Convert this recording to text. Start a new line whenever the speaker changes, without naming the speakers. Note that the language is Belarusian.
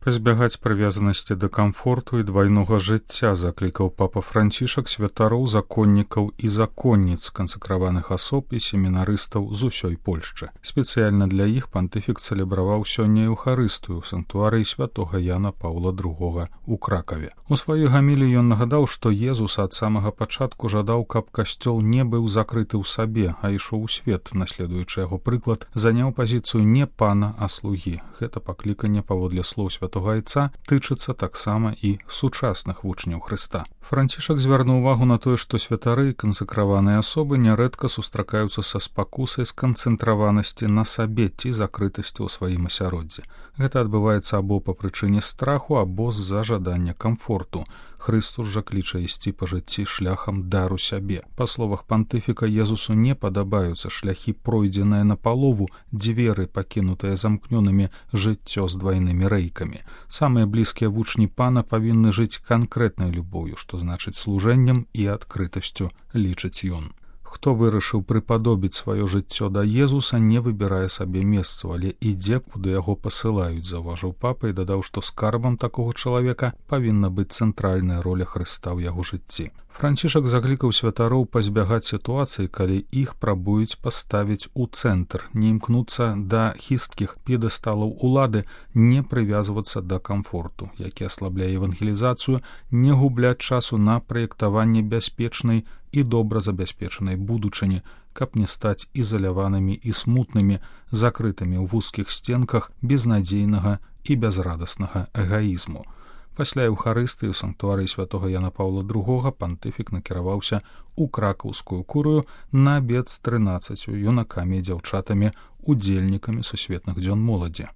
Пазбягаць прывязанасці да камфорту і двайнога жыцця заклікаў папа Францішак святароў, законнікаў і законніц, кансакраваных асоб і семінарыстаў з усёй Польшчы. Спецыяльна для іх пантыфік цэлебраваў сёння Еўхарыстыю ў санктуарыі святога Яна Паўла II у Кракаве. У сваёй гаміліі ён нагадаў, што Езус ад самага пачатку жадаў, каб касцёл не быў закрыты ў сабе, а ішоў у свет, наследуючы яго прыклад, заняў пазіцыю не пана, а слугі. Гэта пакліканне, паводле слоў святога Айца, тычыцца таксама і сучасных вучняў Хрыста. Францішак звярнуў увагу на тое, што святары і кансакраваныя асобы нярэдка сустракаюцца са спакусай сканцэнтраванасці на сабе ці закрытасці ў сваім асяроддзі. Гэта адбываецца або па прычыне страху, або з-за жадання камфорту. Хрыстус жа кліча ісці па жыцці шляхам дару сябе. Па словах пантыфіка, Езусу не падабаюцца шляхі пройдзеныя напалову, дзверы, пакінутыя замкнёнымі, жыццё з двайнымі рэйкамі. Самыя блізкія вучні пана павінны жыць канкрэтнай любоўю, што значыць служэннем і адкрытасцю, лічыць ён. Хто вырашыў прыпадобіць сваё жыццё да Езуса, не выбірае сабе месцу, але ідзе, куды яго пасылаюць, заўважыў папа і дадаў, што скарбам такога чалавека павінна быць цэнтральная роля Хрыста ў яго жыцці. Францішак заклікаў святароў пазбягаць сітуацыі, калі іх прабуюць паставіць у цэнтр, не імкнуцца да хісткіх п'едэсталаў улады, не прывязвацца да камфорту, які аслабляе евангелізацыю, не губляць часу на праектаванне бяспечнай і добра забяспечанай будучыні, каб не стаць ізаляванымі і смутнымі, закрытымі ў вузкіх стенках безнадзейнага і бязрадаснага эгаізму. Пасля Еўхарыстыі ў санктуарыі святога Яна Паўла II пантыфік накіраваўся ў кракаўскую курыю на абед з 13 юнакамі і дзяўчатамі, удзельнікамі сусветных дзён моладзі.